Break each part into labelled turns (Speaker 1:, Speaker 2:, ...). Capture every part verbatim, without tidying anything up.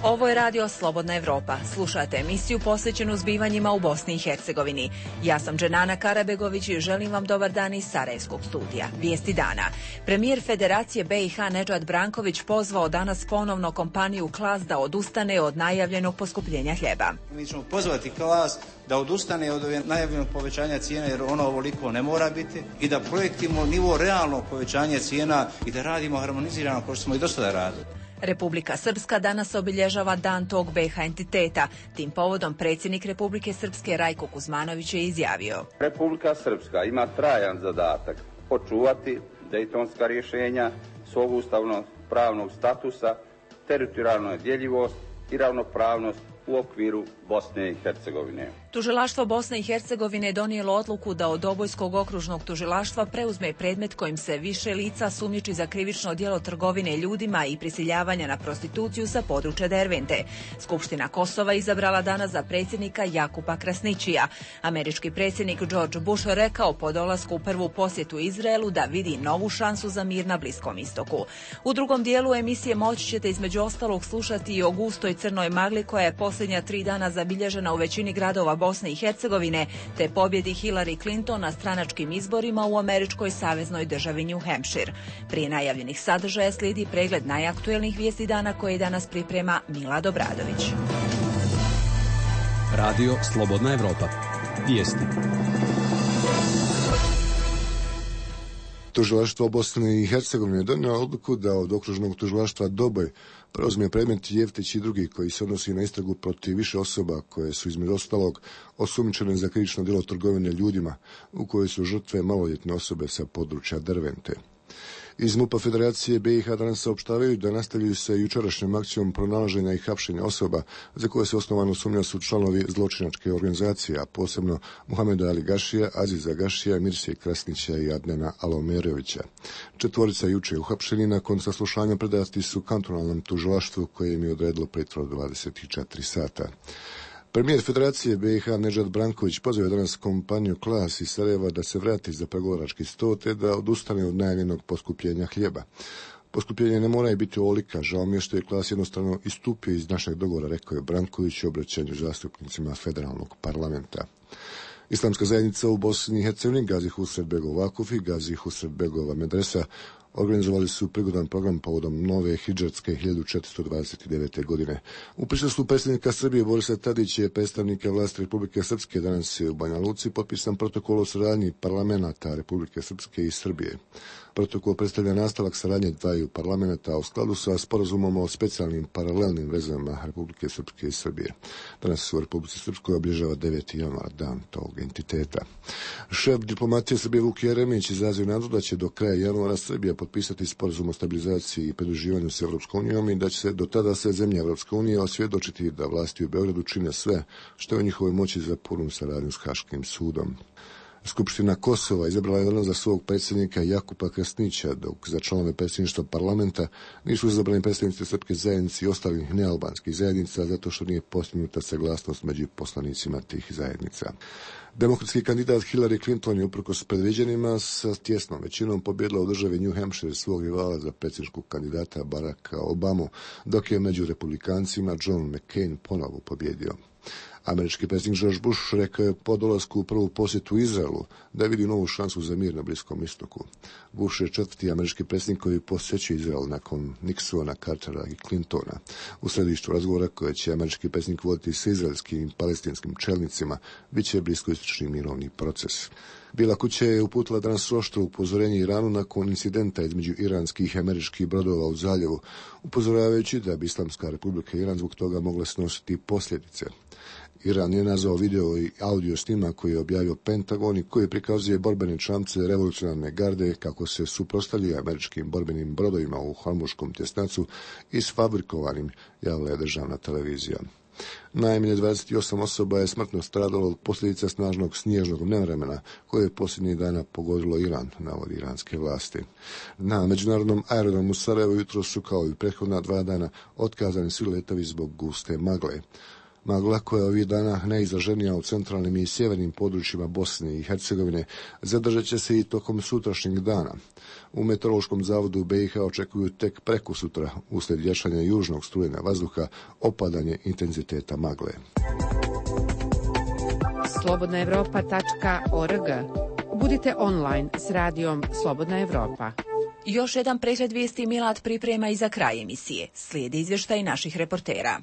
Speaker 1: Ovo je radio Slobodna Evropa. Slušate emisiju posvećenu zbivanjima u Bosni i Hercegovini. Ja sam Dženana Karabegović i želim vam dobar dan iz Sarajevskog studija. Vijesti dana. Premijer Federacije B i H Nedžad Branković pozvao danas ponovno kompaniju Klas da odustane od najavljenog poskupljenja hljeba.
Speaker 2: Mi ćemo pozvati Klas da odustane od najavljenog povećanja cijena jer ono ovoliko ne mora biti i da projektimo nivo realnog povećanja cijena i da radimo harmonizirano kao što smo i do sada radili.
Speaker 1: Republika Srpska danas obilježava dan tog B i H entiteta. Tim povodom predsjednik Republike Srpske Rajko Kuzmanović je izjavio:
Speaker 3: Republika Srpska ima trajan zadatak očuvati dejtonska rješenja, svog ustavnog pravnog statusa, teritorijalnu djeljivost i ravnopravnost u okviru Bosne i Hercegovine.
Speaker 1: Tužilaštvo Bosne i Hercegovine je donijelo odluku da od Obojskog okružnog tužilaštva preuzme predmet kojim se više lica sumnjiči za krivično djelo trgovine ljudima i prisiljavanja na prostituciju sa područja Dervente. Skupština Kosova izabrala danas za predsjednika Jakupa Krasnićija. Američki predsjednik George Bush rekao po dolasku u prvu posjetu Izraelu da vidi novu šansu za mir na Bliskom istoku. U drugom dijelu emisije moći ćete između ostalog slušati i o gustoj crnoj magli koja je posljednja tri dana zabilježena u većini gradova Bosne i Hercegovine, te pobjedi Hillary Clinton na stranačkim izborima u američkoj saveznoj državi New Hampshire. Prije najavljenih sadržaja slijedi pregled najaktuelnijih vijesti dana koje danas priprema Mila Dobradović.
Speaker 4: Radio Slobodna Evropa. Vijesti.
Speaker 5: Tužilaštvo Bosne i Hercegovine donijelo odluku da od okružnog tužilaštva Doboj preuzme predmet Jeftić i drugi koji se odnosi na istragu protiv više osoba koje su između ostalog osumnjičene za krivično djelo trgovine ljudima u kojoj su žrtve maloljetne osobe sa područja Dervente. Iz MUP-a Federacije B i H danas saopštavaju da nastavljaju se jučerašnjom akcijom pronalaženja i hapšenja osoba za koje se osnovano sumnja su članovi zločinačke organizacije, a posebno Muhameda Ali Gašija, Aziza Gašija, Mirsije Krasnića i Adnena Alomerovića. Četvorica juče uhapšeni nakon saslušanja predati su kantonalnom tužilaštvu koje im je odredilo pritvor dvadeset četiri sata. Premijer Federacije B i H Nedžad Branković pozvao je danas kompaniju Klas iz Sarajeva da se vrati za pregovarački sto te da odustane od najavljenog poskupljenja hljeba. Poskupljenje ne mora biti ovolika, žao mi je što je Klas jednostavno istupio iz našeg dogovora, rekao je Branković u obraćanju zastupnicima federalnog parlamenta. Islamska zajednica u Bosni i Hercegovini Gazi Husret Begov Vakuf i Gazi Husret Begova Medresa organizovali su prigodan program povodom nove hidžarske hiljadu četiristo dvadeset devete. godine. U prisustvu predsjednika Srbije Borisa Tadića i predstavnika vlasti Republike Srpske danas je u Banja Luci potpisan protokol o saradnji parlamenta Republike Srpske i Srbije. Protokol predstavlja nastavak saradnje dvaju parlamenta u skladu sa sporazumom o specijalnim paralelnim vezama Republike Srpske i Srbije. Danas u Republici Srpskoj obilježava deveti januar, dan tog entiteta. Šef diplomatije Srbije Vuk Jeremić izrazio nadu da će do kraja januara Srbija potpisati sporazum o stabilizaciji i pridruživanju s Evropskom unijom i da će se do tada sve zemlje Evropske unije osvjedočiti da vlasti u Beogradu čine sve što je u njihovoj moći za punu saradnju s Haškim sudom. Skupština Kosova izabrala je danas za svog predsjednika Jakupa Krasnića, dok za članove predsjedništva parlamenta nisu izabrani predstavnici srpske zajednice i ostalih nealbanskih zajednica zato što nije postignuta saglasnost među poslanicima tih zajednica. Demokratski kandidat Hillary Clinton je uprkos predviđenima sa tjesnom većinom pobjedila u državi New Hampshire svog rivala za predsjedničkog kandidata Baracka Obamu, dok je među republikancima John McCain ponovo pobjedio. Američki predsjednik George Bush rekao je po dolasku u prvu posjetu Izraelu da vidi novu šansu za mir na Bliskom istoku. Bush je četvrti američki predsjednik koji posjećuje Izrael nakon Nixona, Cartera i Clintona. U središtu razgovora koje će američki predsjednik voditi sa izraelskim i palestinskim čelnicima bit će bliskoistočni mirovni proces. Bijela kuća je uputila danas oštro upozorenje Iranu nakon incidenta između iranskih i američkih brodova u zaljevu, upozoravajući da bi Islamska republika Iran zbog toga mogla snositi posljedice. Iran je nazvao video i audio snimak koji je objavio Pentagon i koji prikazuje borbene čamce revolucionarne garde kako se suprotstavljaju američkim borbenim brodovima u Hormuškom tjesnacu i sfabrikovanim, javila je državna televizija. Najmanje dvadeset osam osoba je smrtno stradalo od posljedica snažnog snježnog nevremena koje je posljednjih dana pogodilo Iran, navodi iranske vlasti. Na međunarodnom aerodromu Sarajevo jutro su kao i prethodna dva dana otkazani svi letovi zbog guste magle. Magla, koja je ovih dana najizraženija u centralnim i sjevernim područjima Bosne i Hercegovine, zadržat će se i tokom sutrašnjeg dana. U Meteorološkom zavodu B i H očekuju tek prekosutra, uslijed jačanja južnog strujena vazduha, opadanje intenziteta magle.
Speaker 6: slobodna evropa tačka org. Budite online s radijom Slobodna Evropa.
Speaker 1: Još jedan pregled vijesti Milad priprema i za kraj emisije. Slijedi izvještaj naših reportera.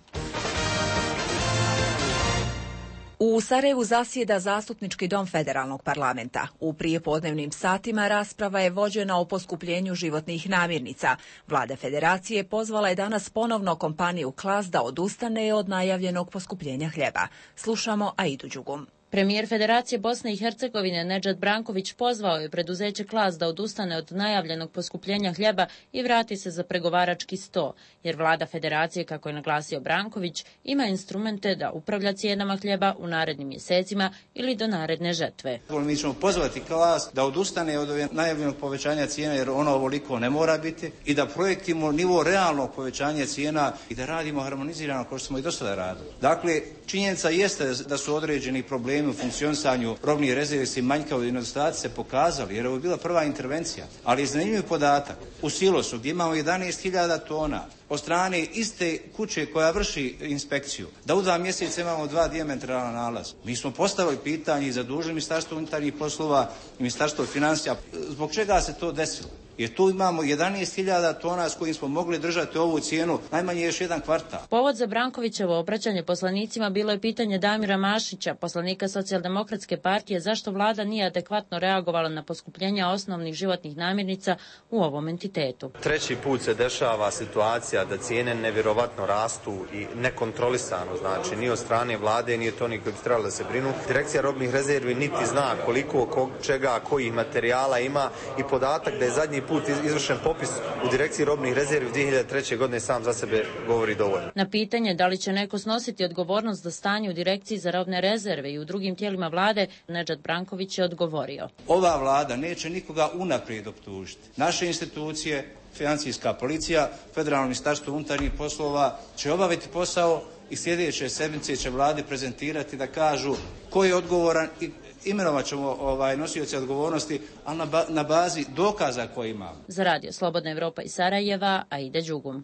Speaker 1: U Sarajevu zasjeda Zastupnički dom Federalnog parlamenta. U prijepodnevnim satima rasprava je vođena o poskupljenju životnih namirnica. Vlada Federacije pozvala je danas ponovno kompaniju Klas da odustane od najavljenog poskupljenja hljeba. Slušamo Aidu Đugum.
Speaker 7: Premijer Federacije Bosne i Hercegovine Nedžad Branković pozvao je preduzeće Klas da odustane od najavljenog poskupljenja hljeba i vrati se za pregovarački sto, jer vlada Federacije, kako je naglasio Branković, ima instrumente da upravlja cijenama hljeba u narednim mjesecima ili do naredne žetve.
Speaker 2: Mi ćemo pozvati Klas da odustane od najavljenog povećanja cijena, jer ono ovoliko ne mora biti, i da projektimo nivo realnog povećanja cijena i da radimo harmonizirano kao što smo i do sada radili. Dakle, činjenica jeste da su određeni problemi u funkcionisanju robnih rezervi i manjkavosti i nedostaci se pokazali, jer ovo je bila prva intervencija. Ali je zanimljiv podatak u silosu gdje imamo jedanaest hiljada tona od strane iste kuće koja vrši inspekciju, da u dva mjeseca imamo dva dijametralna nalaza. Mi smo postavili pitanje i zadužili Ministarstvo unutarnjih poslova i Ministarstvo financija. Zbog čega se to desilo? Jer tu imamo jedanaest hiljada tona s kojim smo mogli držati ovu cijenu najmanje još jedan kvartal.
Speaker 7: Povod za Brankovićevo obraćanje poslanicima bilo je pitanje Damira Mašića, poslanika Socijaldemokratske partije, zašto vlada nije adekvatno reagovala na poskupljenja osnovnih životnih namirnica u ovom entitetu.
Speaker 8: Treći put se dešava situacija da cijene nevjerovatno rastu i nekontrolisano, znači ni od strane vlade, nije to ni koji bi trebali da se brinu. Direkcija robnih rezervi niti zna koliko, kog, čega, kojih materijala ima, i podatak da je zadnji put izvršen popis u Direkciji robnih rezervi dvije hiljade treće. godine sam za sebe govori dovoljno.
Speaker 7: Na pitanje da li će neko snositi odgovornost za stanje u Direkciji za robne rezerve i u drugim tijelima vlade, Nedžad Branković je odgovorio.
Speaker 2: Ova vlada neće nikoga unaprijed optužiti. Naše institucije, Financijska policija, Federalno ministarstvo unutarnjih poslova će obaviti posao i sljedeće sedmice će vladi prezentirati da kažu ko je odgovoran i imenovat ćemo ovaj, nosioce odgovornosti, ali na, ba, na bazi dokaza koje imamo.
Speaker 7: Za Radio Slobodna Evropa iz Sarajeva, Aida Đugum.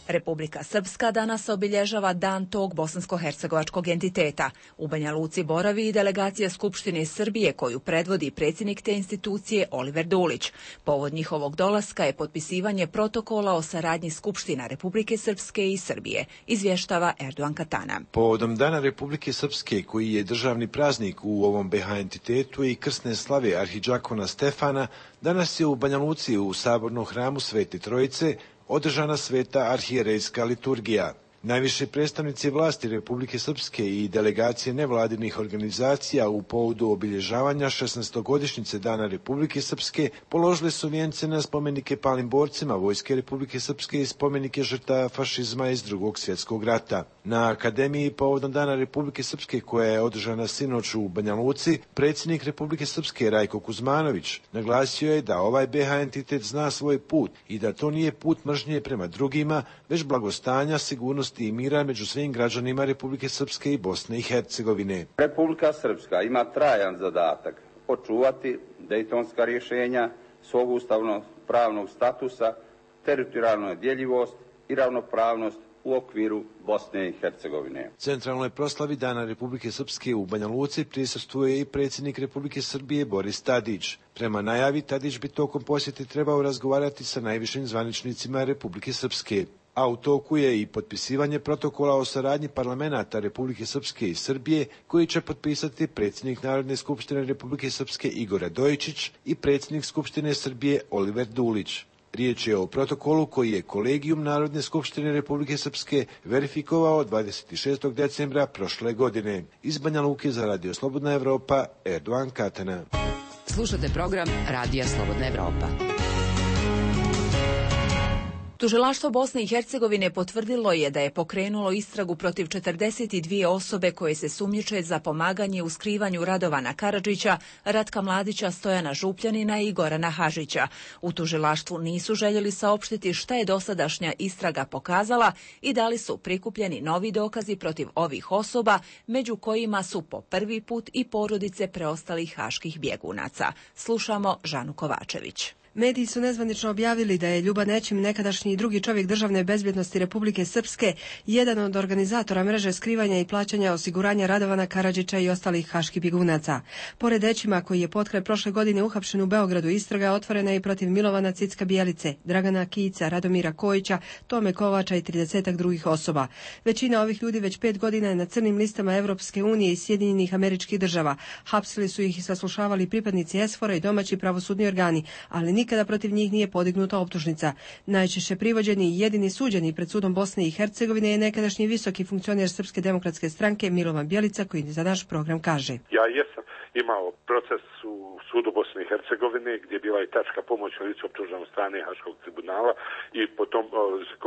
Speaker 1: Republika Srpska danas obilježava dan tog bosansko-hercegovačkog entiteta. U Banja Luci boravi i delegacija Skupštine Srbije koju predvodi predsjednik te institucije Oliver Dulić. Povod njihovog dolaska je potpisivanje protokola o saradnji Skupština Republike Srpske i Srbije, izvještava Erdogan Katana.
Speaker 9: Povodom Dana Republike Srpske, koji je državni praznik u ovom B H entitetu i krsne slave arhidžakona Stefana, danas je u Banja Luci u sabornom hramu Svete Trojice održana sveta arhijerejska liturgija. Najviše predstavnici vlasti Republike Srpske i delegacije nevladinih organizacija u povodu obilježavanja šesnaestogodišnjice Dana Republike Srpske položili su vijence na spomenike palim borcima Vojske Republike Srpske i spomenike žrtava fašizma iz Drugog svjetskog rata. Na Akademiji povodom Dana Republike Srpske, koja je održana sinoć u Banja Luci, predsjednik Republike Srpske Rajko Kuzmanović naglasio je da ovaj B H entitet zna svoj put i da to nije put mržnje prema drugima, već blagostanja, sigurnosti i mira među svim građanima Republike Srpske i Bosne i Hercegovine.
Speaker 3: Republika Srpska ima trajan zadatak očuvati dejtonska rješenja, svog ustavnog pravnog statusa, teritorijalnu djeljivost i ravnopravnost u okviru Bosne i Hercegovine.
Speaker 9: Centralnoj proslavi Dana Republike Srpske u Banja Luci prisustvuje i predsjednik Republike Srbije Boris Tadić. Prema najavi, Tadić bi tokom posjete trebao razgovarati sa najvišim zvaničnicima Republike Srpske. A u toku je i potpisivanje protokola o saradnji parlamenata Republike Srpske i Srbije, koji će potpisati predsjednik Narodne skupštine Republike Srpske Igor Radojičić i predsjednik Skupštine Srbije Oliver Dulić. Riječ je o protokolu koji je Kolegijum Narodne skupštine Republike Srpske verifikovao dvadeset šestog decembra prošle godine. Iz Banja Luke za Radio Slobodna Evropa, Erdogan Katana.
Speaker 6: Slušate program Radija Slobodna Evropa.
Speaker 1: Tužilaštvo Bosne i Hercegovine potvrdilo je da je pokrenulo istragu protiv četrdeset dvije osobe koje se sumnjiče za pomaganje u skrivanju Radovana Karadžića, Ratka Mladića, Stojana Župljanina i Gorana Hažića. U tužilaštvu nisu željeli saopštiti šta je dosadašnja istraga pokazala i da li su prikupljeni novi dokazi protiv ovih osoba, među kojima su po prvi put i porodice preostalih haških bjegunaca. Slušamo Žanu Kovačević.
Speaker 10: Mediji su nezvanično objavili da je Ljuba Nećim, nekadašnji drugi čovjek državne bezbjednosti Republike Srpske, jedan od organizatora mreže skrivanja i plaćanja osiguranja Radovana Karadžića i ostalih haških bjegunaca. Pored Nećima, koji je potkraj prošle godine uhapšen u Beogradu, istraga otvorena je i protiv Milovana Cicka Bijelice, Dragana Kijića, Radomira Kojića, Tome Kovača i tridesetak drugih osoba. Većina ovih ljudi već pet godina je na crnim listama Evropske unije i Sjedinjenih Američkih Država. Hapsili su ih i saslušavali pripadnici esfora i domaći pravosudni organi, ali nikada protiv njih nije podignuta optužnica. Najčešće privođeni i jedini suđeni pred sudom Bosne i Hercegovine je nekadašnji visoki funkcioner Srpske demokratske stranke Milovan Bjelica, koji za naš program kaže:
Speaker 11: Ja jesam imao proces u sudu Bosne i Hercegovine gdje je bila i tačka pomoć licu optuženom strane Haškog tribunala i potom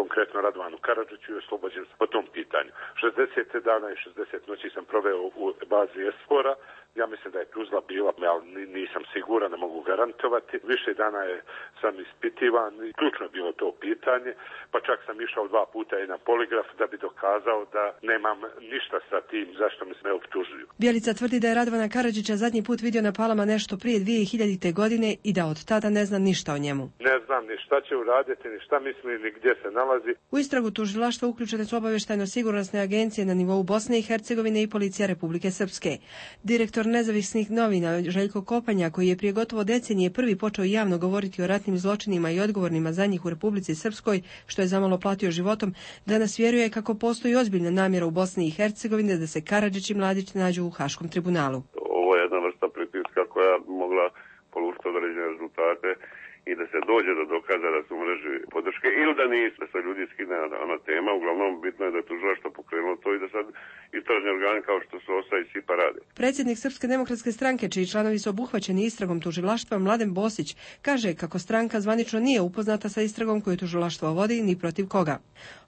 Speaker 11: konkretno Radovanu Karadžiću i oslobođen po tom pitanju. šezdeset dana i šezdeset noći sam proveo u bazi esfora. Ja mislim da je Tuzla bila, ali nisam siguran, ne mogu garantovati. Više dana je sam ispitivan, ključno je bilo to pitanje, pa čak sam išao dva puta i na poligraf da bi dokazao da nemam ništa sa tim zašto me ne optužuju.
Speaker 10: Bjelica tvrdi da je Radovana Karadžića zadnji put vidio na Palama nešto prije dvije hiljadite. godine i da od tada ne zna ništa o njemu.
Speaker 11: Ne znam ni šta će uraditi, ni šta misli, ni gdje se nalazi.
Speaker 10: U istragu tužilaštva uključene su obavještajno-sigurnosne agencije na nivou Bosne i Hercegovine i policija Republike Srpske. Direktor nezavisnih novina Željko Kopanja, koji je prije gotovo decenije prvi počeo javno govoriti o ratnim zločinima i odgovornima za njih u Republici Srpskoj, što je zamalo platio životom, danas vjeruje kako postoji ozbiljna namjera u Bosni i Hercegovini da se Karadžić i Mladić nađu u Haškom tribunalu.
Speaker 12: Ovo je jedna vrsta pritiska koja mogla polučiti određene rezultate i da se dođe do dokaza da su mreži podrške ili da nisu, da se ljudi skine ona tema. Uglavnom bitno je da je tužilaštvo pokrenulo to i da sad istražni organi kao što su O S A i SIPA rade.
Speaker 10: Predsjednik Srpske demokratske stranke, čiji članovi su obuhvaćeni istragom tužilaštva, Mladen Bosić, kaže kako stranka zvanično nije upoznata sa istragom koju tužilaštvo vodi ni protiv koga.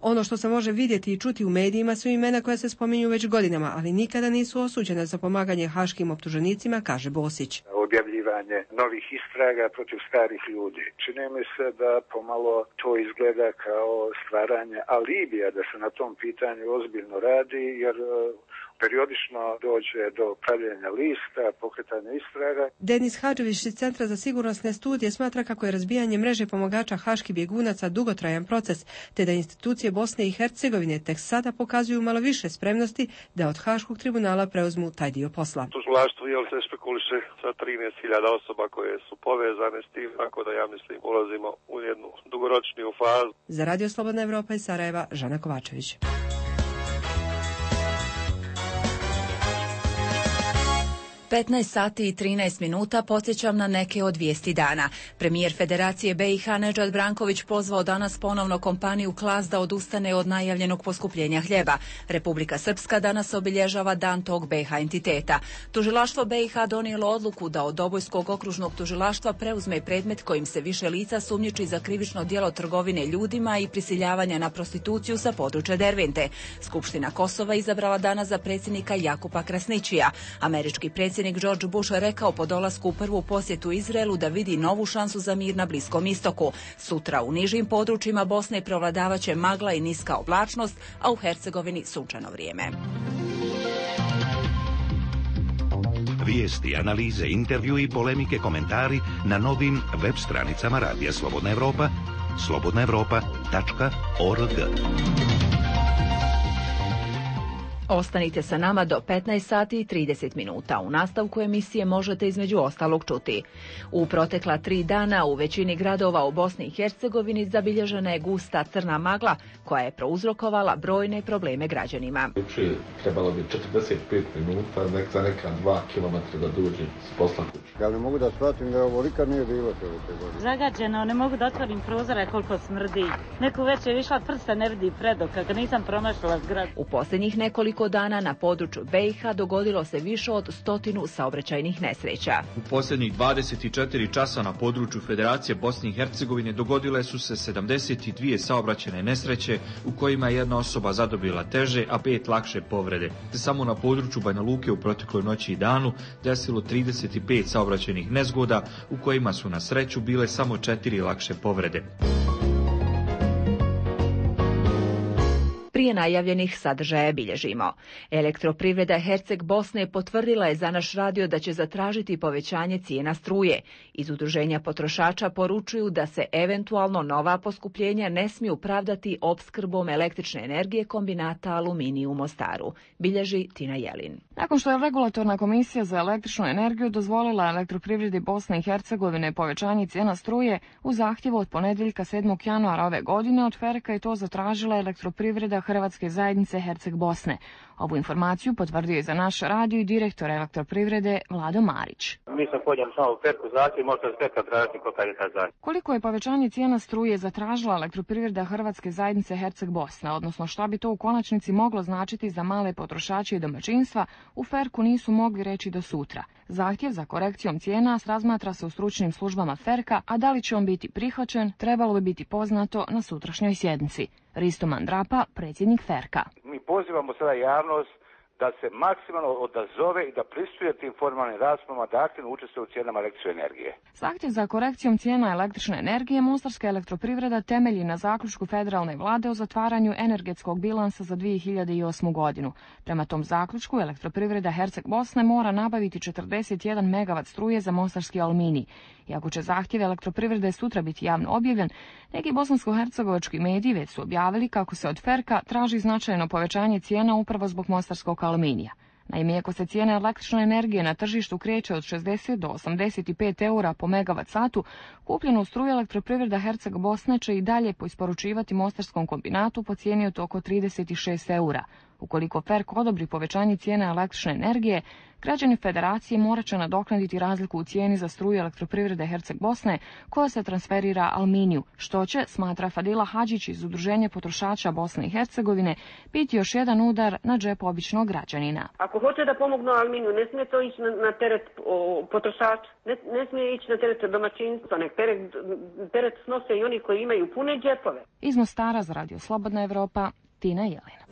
Speaker 10: Ono što se može vidjeti i čuti u medijima su imena koja se spominju već godinama, ali nikada nisu osuđena za pomaganje haškim optuženicima, kaže Bosić.
Speaker 13: Objavljivanje novih istraga protiv starih ljudi. Čini mi se da pomalo to izgleda kao stvaranje alibija da se na tom pitanju ozbiljno radi, jer periodično dođe do pravljenja lista, pokretanja istraga.
Speaker 10: Denis Hadžević iz Centra za sigurnosne studije smatra kako je razbijanje mreže pomagača haških bjegunaca dugotrajan proces, te da institucije Bosne i Hercegovine tek sada pokazuju malo više spremnosti da od Haškog tribunala preuzmu taj dio posla.
Speaker 14: Tužilaštvo je se špekuliše sa trinaest hiljada osoba koje su povezane s tim, tako da ja mislim ulazimo u jednu dugoročniju fazu.
Speaker 10: Za Radio Slobodna Evropa iz Sarajeva, Žana Kovačević.
Speaker 1: petnaest sati i trinaest minuta podsjećam na neke od vijesti dana. Premijer Federacije B i H Nedžad Branković pozvao danas ponovno kompaniju Klas da odustane od najavljenog poskupljenja hljeba. Republika Srpska danas obilježava dan tog B i H entiteta. Tužilaštvo B i H donijelo odluku da od Dobojskog okružnog tužilaštva preuzme predmet kojim se više lica sumnjiči za krivično djelo trgovine ljudima i prisiljavanja na prostituciju sa područja Dervente. Skupština Kosova izabrala danas za predsjednika Jakupa Krasnićija. Američki predsjednik Predsjednik George Bush rekao po dolasku u prvu posjetu Izraelu da vidi novu šansu za mir na Bliskom istoku. Sutra u nižim područjima Bosne prevladavaće magla i niska oblačnost, a u Hercegovini sunčano vrijeme.
Speaker 15: Vijesti, analize, intervju i polemike, komentari na novim web stranicama Radija Slobodna Evropa, slobodna evropa tačka org.
Speaker 1: Ostanite sa nama do petnaest sati i trideset minuta. U nastavku emisije možete između ostalog čuti. U protekla tri dana u većini gradova u Bosni i Hercegovini zabilježena je gusta crna magla koja je prouzrokovala brojne probleme građanima.
Speaker 16: Juče trebalo bi četrdeset pet minuta nek za neka dva kilometra da dođem s posla kuće.
Speaker 17: Ja ne mogu da shvatim da ovo nikad nije bilo te godine.
Speaker 18: Zagađeno, ne mogu da otvorim prozore koliko smrdi. Neku večer je išla prsta, ne vidi predok, kako nisam promašala zgradu.
Speaker 1: U posljednjih nekoliko nekoliko dana na području B i H dogodilo se više od stotinu saobraćajnih nesreća.
Speaker 19: U posljednjih dvadeset četiri časa na području Federacije Bosne i Hercegovine dogodile su se sedamdeset dvije saobraćajne nesreće u kojima je jedna osoba zadobila teže, a pet lakše povrede. Samo na području Banja Luke u protekloj noći i danu desilo trideset pet saobraćajnih nezgoda u kojima su na sreću bile samo četiri lakše povrede.
Speaker 1: Prije najavljenih sadržaja bilježimo. Elektroprivreda Herceg Bosne potvrdila je za naš radio da će zatražiti povećanje cijena struje. Iz udruženja potrošača poručuju da se eventualno nova poskupljenja ne smiju pravdati opskrbom električne energije kombinata Aluminij u Mostaru, bilježi Tina Jelin.
Speaker 20: Nakon što je Regulatorna komisija za električnu energiju dozvolila elektroprivredi Bosne i Hercegovine povećanje cijena struje, u zahtjevu od ponedjeljka sedmog januara ove godine od Ferka je to zatražila elektroprivreda Hrvatske zajednice Herceg Bosne. Ovu informaciju potvrdio je za naš radio i direktor elektroprivrede Vlado Marić.
Speaker 21: Mi smo podnijeli samo u Ferku zahtjev, možete s Ferka tražiti kolika je ta zahtjev.
Speaker 20: Koliko je povećanje cijena struje zatražila elektroprivreda Hrvatske zajednice Herceg Bosne, odnosno šta bi to u konačnici moglo značiti za male potrošače i domaćinstva, u Ferku nisu mogli reći do sutra. Zahtjev za korekcijom cijena razmatra se u stručnim službama Ferka, a da li će on biti prihvaćen, trebalo bi biti poznato na sutrašnjoj sjednici. Risto Mandrapa, predsjednik Ferka.
Speaker 21: Mi pozivamo sada javnost da se maksimalno odazove i da pristuje tim formalnim raspravama da aktivno učestvuje u cijenama električne energije.
Speaker 20: Zahtjev za korekcijom cijena električne energije Mostarska elektroprivreda temelji na zaključku federalne vlade o zatvaranju energetskog bilansa za dvije hiljade osmu godinu. Prema tom zaključku elektroprivreda Herceg Bosne mora nabaviti četrdeset jedan megavat struje za mostarski Aluminij. Iako će zahtjev elektroprivrede sutra biti javno objavljen, neki bosansko-hercegovački mediji već su objavili kako se od Ferka traži značajno povećanje cijena upravo zbog mostarskog Aluminija. Naime, ako se cijena električne energije na tržištu kreće od šezdeset do osamdeset pet eura po megavat satu, kupljenu struju elektroprivreda Herceg Bosne će i dalje poisporučivati mostarskom kombinatu po cijeni od oko trideset šest eura. Ukoliko Ferk odobri povećanje cijene električne energije, građani federacije morat će nadoknaditi razliku u cijeni za struju elektroprivrede Herceg Bosne koja se transferira Aluminiju, što će, smatra Fadila Hadžić iz Udruženja potrošača Bosne i Hercegovine, biti još jedan udar na džep običnog građanina.
Speaker 22: Ako hoće da pomognu Aluminiju, ne smije to ići na, na teret o, potrošača, ne, ne smije ići na teret domaćinstva, nek teret, teret snose i oni koji imaju pune džepove.
Speaker 20: Iz Mostara za Radio Slobodna Evropa, Tina Jelina.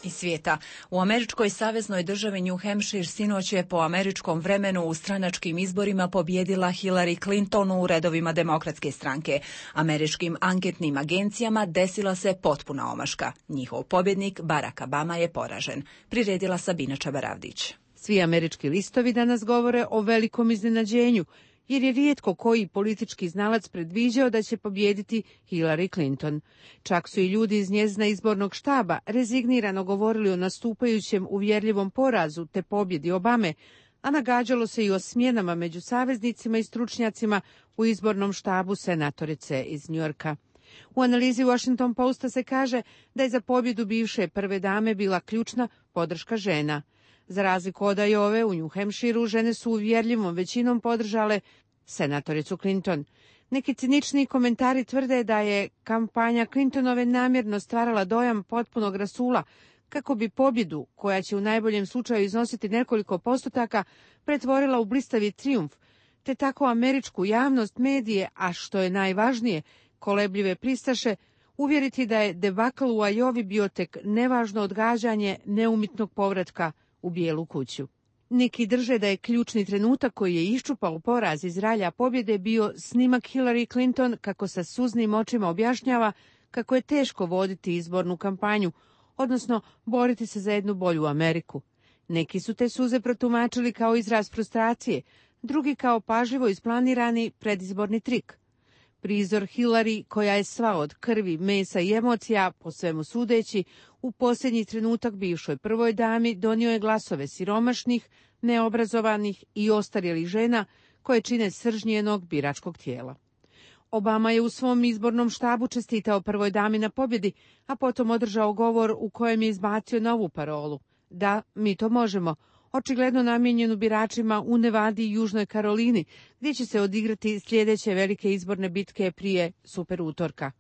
Speaker 1: Iz svijeta. U američkoj saveznoj državi New Hampshire sinoć je po američkom vremenu u stranačkim izborima pobjedila Hillary Clinton u redovima demokratske stranke. Američkim anketnim agencijama desila se potpuna omaška. Njihov pobjednik Barack Obama je poražen. Priredila Sabina Čabaravdić.
Speaker 6: Svi američki listovi danas govore o velikom iznenađenju, jer je rijetko koji politički znalac predviđao da će pobijediti Hillary Clinton. Čak su i ljudi iz njezina izbornog štaba rezignirano govorili o nastupajućem uvjerljivom porazu te pobjedi Obame, a nagađalo se i o smjenama među saveznicima i stručnjacima u izbornom štabu senatorice iz Njujorka. U analizi Washington Posta se kaže da je za pobjedu bivše prve dame bila ključna podrška žena. Za razliku od Iowe, u New Hampshireu žene su uvjerljivom većinom podržale senatoricu Clinton. Neki cinični komentari tvrde da je kampanja Clintonove namjerno stvarala dojam potpunog rasula kako bi pobjedu, koja će u najboljem slučaju iznositi nekoliko postotaka, pretvorila u blistavi trijumf, te tako američku javnost, medije, a što je najvažnije, kolebljive pristaše, uvjeriti da je debakl u Iowi bio tek nevažno odgađanje neumitnog povratka u Bijelu kuću. Neki drže da je ključni trenutak koji je iščupao poraz iz ralja pobjede bio snimak Hillary Clinton kako sa suznim očima objašnjava kako je teško voditi izbornu kampanju, odnosno boriti se za jednu bolju Ameriku. Neki su te suze protumačili kao izraz frustracije, drugi kao pažljivo isplanirani predizborni trik. Prizor Hillary, koja je sva od krvi, mesa i emocija, po svemu sudeći, u posljednji trenutak bivšoj prvoj dami donio je glasove siromašnih, neobrazovanih i ostarjelih žena koje čine srž njenog biračkog tijela. Obama je u svom izbornom štabu čestitao prvoj dami na pobjedi, a potom održao govor u kojem je izbacio novu parolu. Da, mi to možemo, očigledno namijenjenu biračima u Nevadi i Južnoj Karolini, gdje će se odigrati sljedeće velike izborne bitke prije super utorka.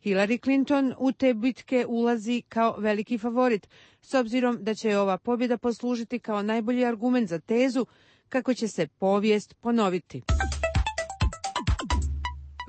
Speaker 6: Hillary Clinton u te bitke ulazi kao veliki favorit, s obzirom da će ova pobjeda poslužiti kao najbolji argument za tezu kako će se povijest ponoviti.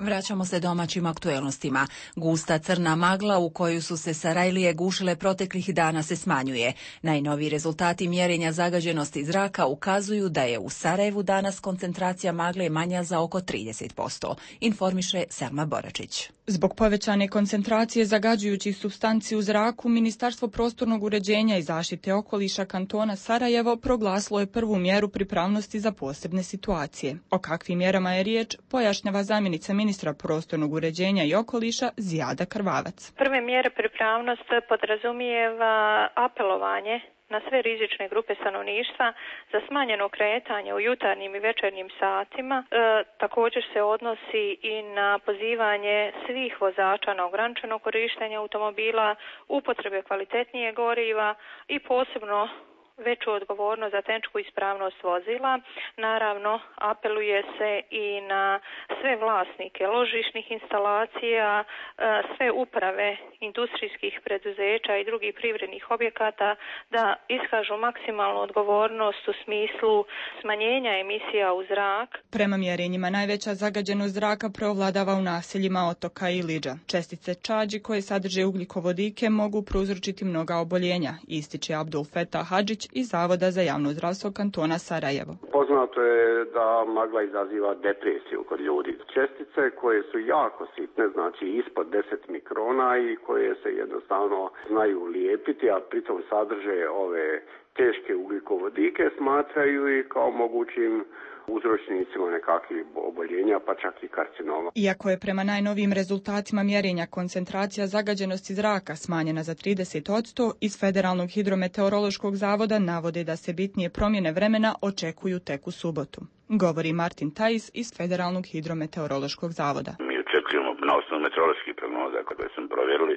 Speaker 1: Vraćamo se domaćim aktuelnostima. Gusta crna magla u koju su se Sarajlije gušile proteklih dana se smanjuje. Najnoviji rezultati mjerenja zagađenosti zraka ukazuju da je u Sarajevu danas koncentracija magle manja za oko trideset posto, informiše Selma Boračić.
Speaker 4: Zbog povećane koncentracije zagađujućih supstanci u zraku, Ministarstvo prostornog uređenja i zaštite okoliša kantona Sarajevo proglasilo je prvu mjeru pripravnosti za posebne situacije. O kakvim mjerama je riječ, pojašnjava zamjenica ministra prostornog uređenja i okoliša Zijada Krvavac.
Speaker 5: Prve mjere pripravnost podrazumijeva apelovanje na sve rizične grupe stanovništva za smanjeno kretanje u jutarnjim i večernjim satima. E, također se odnosi i na pozivanje svih vozača na ograničeno korištenje automobila, upotrebe kvalitetnije goriva i posebno veću odgovornost za tehničku ispravnost vozila. Naravno, apeluje se i na sve vlasnike ložišnih instalacija, sve uprave industrijskih preduzeća i drugih privrednih objekata da iskažu maksimalnu odgovornost u smislu smanjenja emisija u zrak.
Speaker 4: Prema mjerenjima najveća zagađenost zraka preovladava u naseljima Otoka i Iliđa. Čestice čađi koje sadrže ugljikovodike mogu prouzročiti mnoga oboljenja, ističe Abdul Fetah Hadžić iz Zavoda za javno zdravstvo kantona Sarajevo.
Speaker 23: Poznato je da magla izaziva depresiju kod ljudi. Čestice koje su jako sitne, znači ispod deset mikrona i koje se jednostavno znaju lijepiti, a pritom sadrže ove teške ugljikovodike, smatraju i kao mogućim uzročnicima nekakvih oboljenja, pa čak i karcinoma.
Speaker 4: Iako je prema najnovijim rezultatima mjerenja koncentracija zagađenosti zraka smanjena za trideset posto, iz Federalnog hidrometeorološkog zavoda navode da se bitnije promjene vremena očekuju tek u subotu. Govori Martin Tajs iz Federalnog hidrometeorološkog zavoda.
Speaker 24: Mi očekujemo na osnovu meteoroloških prognoza koje smo provjerili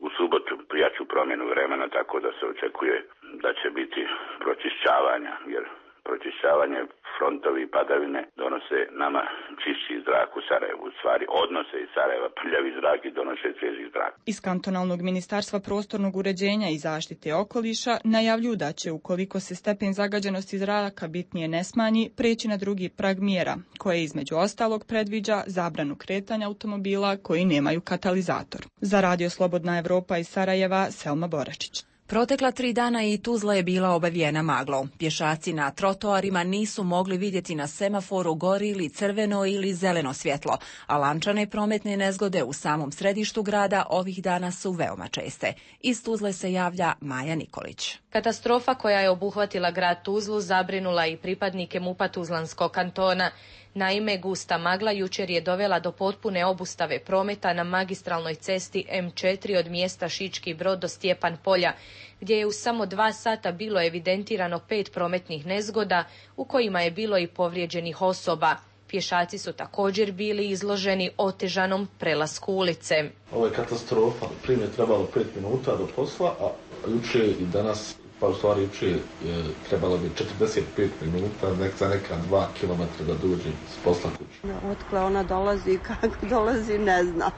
Speaker 24: u subotu jaču promjenu vremena, tako da se očekuje da će biti pročišćavanja, jer pročišćavanje, frontovi i padavine donose nama čišći zrak u Sarajevu. U stvari odnose iz Sarajeva prljavi zrak i donose svježi zrak.
Speaker 4: Iz kantonalnog ministarstva prostornog uređenja i zaštite okoliša najavljuju da će, ukoliko se stepen zagađenosti zraka bitnije ne smanji, preći na drugi prag mjera, koje između ostalog predviđa zabranu kretanja automobila koji nemaju katalizator. Za Radio Slobodna Evropa iz Sarajeva, Selma Boračić.
Speaker 1: Protekla tri dana i Tuzla je bila obavijena maglom. Pješaci na trotoarima nisu mogli vidjeti na semaforu gori ili crveno ili zeleno svjetlo, a lančane prometne nezgode u samom središtu grada ovih dana su veoma česte. Iz Tuzle se javlja Maja Nikolić.
Speaker 7: Katastrofa koja je obuhvatila grad Tuzlu zabrinula i pripadnike MUP-a Tuzlanskog kantona. Naime, gusta magla jučer je dovela do potpune obustave prometa na magistralnoj cesti em četiri od mjesta Šički Brod do Stjepan Polja, gdje je u samo dva sata bilo evidentirano pet prometnih nezgoda u kojima je bilo i povrijeđenih osoba. Pješaci su također bili izloženi otežanom prelasku ulice.
Speaker 16: Ovo je katastrofa. Prije je trebalo pet minuta do posla, a juče i danas, pa u stvari juče je trebalo bi četrdeset pet minuta, nek za neka dva kilometra da dođe s posla kući.
Speaker 25: Otkle ona dolazi i kako dolazi, ne znam.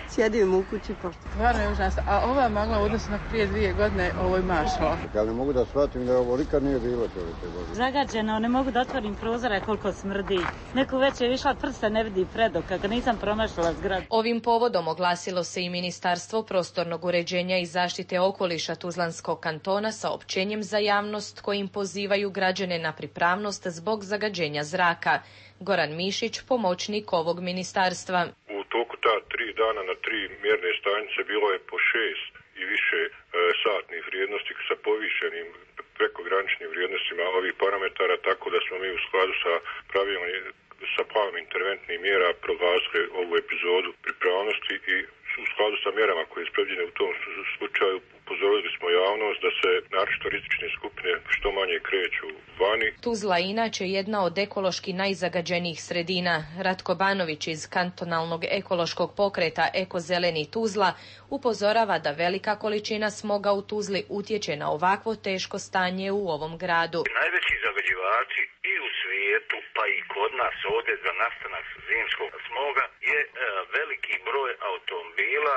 Speaker 25: Sjedim u kući pošto.
Speaker 26: Stvarno je užasno. A ova magla u odnosu na prije dvije godine, ovo je mašala.
Speaker 17: Ja ne mogu da shvatim da ovo nikad nije bilo čovječe.
Speaker 18: Zagađeno, ne mogu da otvorim prozore koliko smrdi. Neku već je išla prsta, ne vidi predok, kako nisam promašala zgrad.
Speaker 7: Ovim povodom oglasilo se i Ministarstvo prostornog uređenja i zaštite okoliša Tuzlanskog kantona sa općenjem za javnost kojim pozivaju građane na pripravnost zbog zagađenja zraka. Goran Mišić, pomoćnik ovog ministarstva.
Speaker 27: U toku ta tri dana na tri mjerne stanice bilo je po šest i više e, satnih vrijednosti sa povišenim prekograničnim vrijednostima ovih parametara, tako da smo mi u skladu sa pravilom, sa planom interventnih mjera proglasili ovu epizodu pripravnosti i u skladu sa mjerama koje je predviđene u tom slučaju upozorili smo javnost da se naročito rizične skupine što manje kreću vani.
Speaker 7: Tuzla inače jedna od ekološki najzagađenijih sredina. Ratko Banović iz kantonalnog ekološkog pokreta Ekozeleni Tuzla upozorava da velika količina smoga u Tuzli utječe na ovakvo teško stanje u ovom gradu.
Speaker 28: Najveći zagađivači i u svijetu, pa i kod nas ovdje za nastanak zimskog smoga je e, veliki broj automobila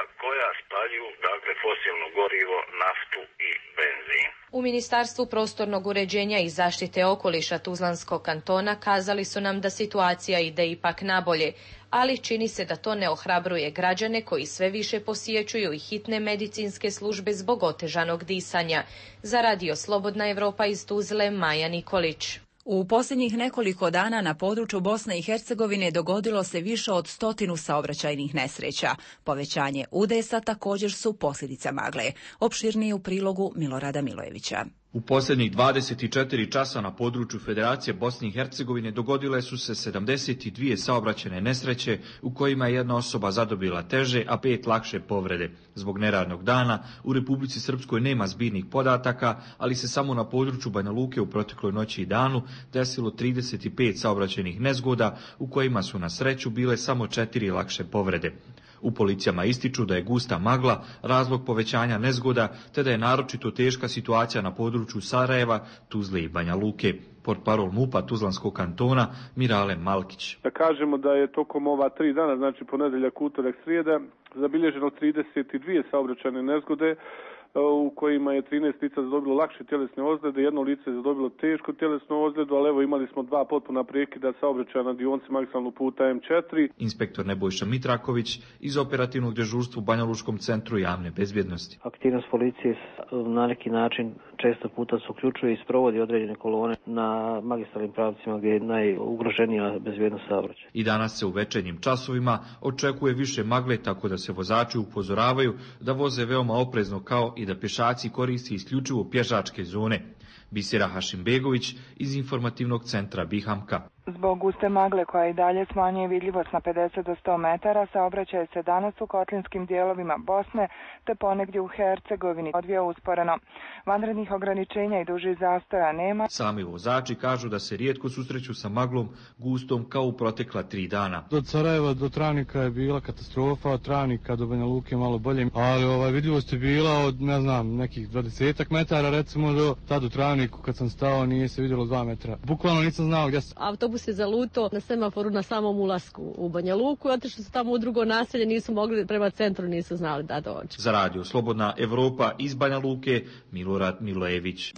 Speaker 28: naftu i benzin.
Speaker 2: U Ministarstvu prostornog uređenja i zaštite okoliša Tuzlanskog kantona kazali su nam da situacija ide ipak nabolje, ali čini se da to ne ohrabruje građane koji sve više posjećuju i hitne medicinske službe zbog otežanog disanja. Za Radio Slobodna Evropa iz Tuzle, Maja Nikolić.
Speaker 1: U posljednjih nekoliko dana na području Bosne i Hercegovine dogodilo se više od stotinu saobraćajnih nesreća. Povećanje udesa također su posljedica magle. Opširnije u prilogu Milorada Milojevića.
Speaker 19: U posljednjih dvadeset četiri časa na području Federacije Bosne i Hercegovine dogodile su se sedamdeset dvije saobraćajne nesreće u kojima je jedna osoba zadobila teže, a pet lakše povrede. Zbog neradnog dana u Republici Srpskoj nema zbirnih podataka, ali se samo na području Banja Luke u protekloj noći i danu desilo trideset pet saobraćajnih nezgoda u kojima su na sreću bile samo četiri lakše povrede. U policijama ističu da je gusta magla razlog povećanja nezgoda, te da je naročito teška situacija na području Sarajeva, Tuzle i Banja Luke. Portparol MUP-a Tuzlanskog kantona Mirale Malkić.
Speaker 3: Da kažemo da je tokom ova tri dana, znači ponedeljak, utorak, srijeda, zabilježeno trideset dvije saobraćajne nezgode u kojima je trinaest lica zadobilo lakše tjelesne ozljede, jedno lice je zadobilo tešku tjelesnu ozljedu, ali evo imali smo dva potpuna prekida saobraćaja na dionici magistralnog puta em četiri.
Speaker 19: Inspektor Nebojša Mitraković iz operativnog dežurstva u Banja Lučkom centru javne bezbjednosti.
Speaker 8: Aktivnost policije na neki način često puta se uključuje i sprovodi određene kolone na magistralnim pravcima gdje je najugroženija bezbjednost saobraćaja.
Speaker 19: I danas se u večernjim časovima očekuje više magle, tako da se vozači upozoravaju da voze veoma oprezno, kao i da pješaci koristi isključivo pješačke zone. Bisera Hašimbegović iz informativnog centra Bihamka.
Speaker 9: Zbog guste magle koja i dalje smanjuje vidljivost na pedeset do sto metara, saobraćaj se danas u kotlinskim dijelovima Bosne te ponegdje u Hercegovini odvija usporeno. Vanrednih ograničenja i dužih zastoja nema.
Speaker 19: Sami vozači kažu da se rijetko susreću sa maglom gustom kao u protekla tri dana.
Speaker 11: Od Sarajeva do Travnika je bila katastrofa, od Travnika do Banja Luke malo bolje, ali ovaj, vidljivost je bila od, ne znam, nekih dvadesetak metara, recimo do tad u Travniku kad sam stao nije se vidjelo dva metra. Bukvalno nisam znao gdje sam.
Speaker 12: Autobus je zaluto na semaforu na samom ulasku u Banja Luku, zato što su tamo u drugo naselje, nisu mogli prema centru, nisu znali da dođu.
Speaker 19: Za Radio Slobodna Evropa iz Banja Luke, Milorad Milojević.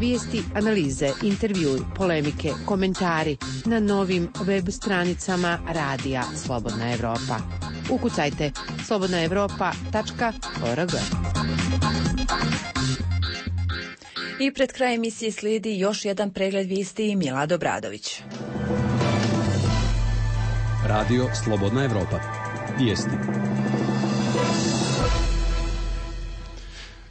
Speaker 6: Vijesti, analize, intervjui, polemike, komentari na novim web stranicama Radija Slobodna Evropa. Ukucajte slobodna evropa tačka org.
Speaker 1: I pred kraj emisije slijedi još jedan pregled vijesti i Milad Obradović.
Speaker 13: Radio Slobodna Evropa. Vijesti.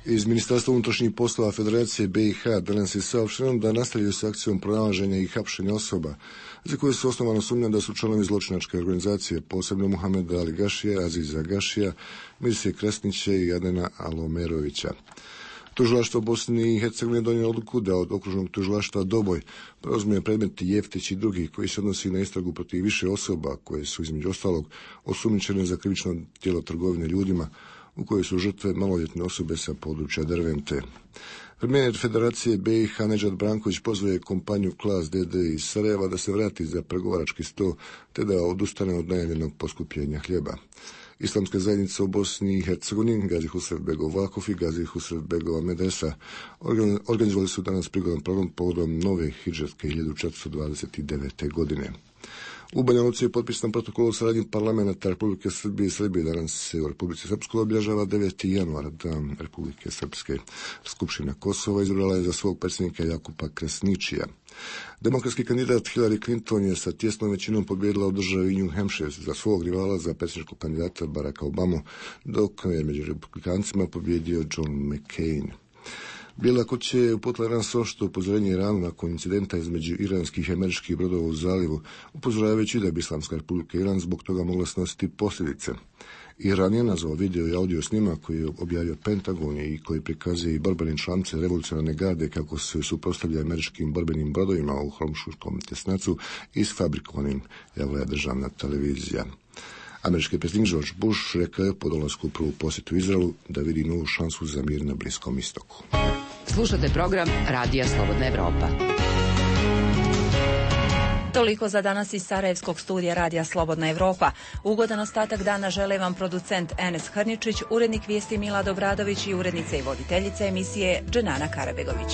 Speaker 14: Iz Ministarstva unutrašnjih poslova Federacije be i ha danas je saopšteno da nastavljaju s akcijom pronalaženja i hapšenja osoba za koje su osnovano sumnja da su članovi zločinačke organizacije, posebno Muhameda Ali Gašija, Aziza Gašija, Mirsije Kresnića i Adena Alomerovića. Tužilaštvo Bosne i Hercegovine donijelo odluku da od okružnog tužilaštva Doboj preuzme predmet Jeftić i drugi koji se odnosi na istragu protiv više osoba koje su između ostalog osumnjičene za krivično djelo trgovine ljudima u kojoj su žrtve maloljetne osobe sa područja Dervente. Premijer Federacije be i ha Nedžad Branković pozvaje kompaniju Klas de de iz Sarajeva da se vrati za pregovarački sto te da odustane od najavljenog poskupljenja hljeba. Islamska zajednica u Bosni i Hercegovini, Gazi Husrev Begov Vakuf i Gazi Husrev Begova Medresa organizovali su danas prigodan program povodom nove hidžetske hiljadu četiristo dvadeset devete. godine. U Banja Luci je potpisan protokol o saradnji parlamenta Republike Srbije i Srbije. Danas se u Republici Srpskoj obilježava deveti januar, dan Republike Srpske. Skupština Kosova izabrala je za svog predsjednika Jakupa Kresničija. Demokratski kandidat Hillary Clinton je sa tjesnom većinom pobijedila u državi New Hampshire za svog rivala za predsjedničkog kandidata Baracka Obamu, dok je među republikancima pobjedio John McCain. Bijela kuća je uputila jedan oštro upozorenje Iranu nakon incidenta između iranskih i američkih brodova u zalivu, upozoravajući da bi Islamska republika Iran zbog toga mogla snositi posljedice. Iran je nazvao video i audio snimak koji je objavio Pentagon i koji prikazuje i borbene čamce revolucionarne garde kako se suprotstavlja američkim borbenim brodovima u Hormuzskom tjesnacu i sfabrikovanim, javila je državna televizija. Američki predsjednik George Bush rekao je po dolasku u prvu posjetu Izraelu da vidi novu šansu za mir na Bliskom istoku.
Speaker 13: Slušate program Radija Slobodna Evropa.
Speaker 1: Toliko za danas iz Sarajevskog studija Radija Slobodna Evropa. Ugodan ostatak dana žele vam producent Enes Hrničić, urednik vijesti Milad Obradović i urednica i voditeljica emisije Dženana Karabegović.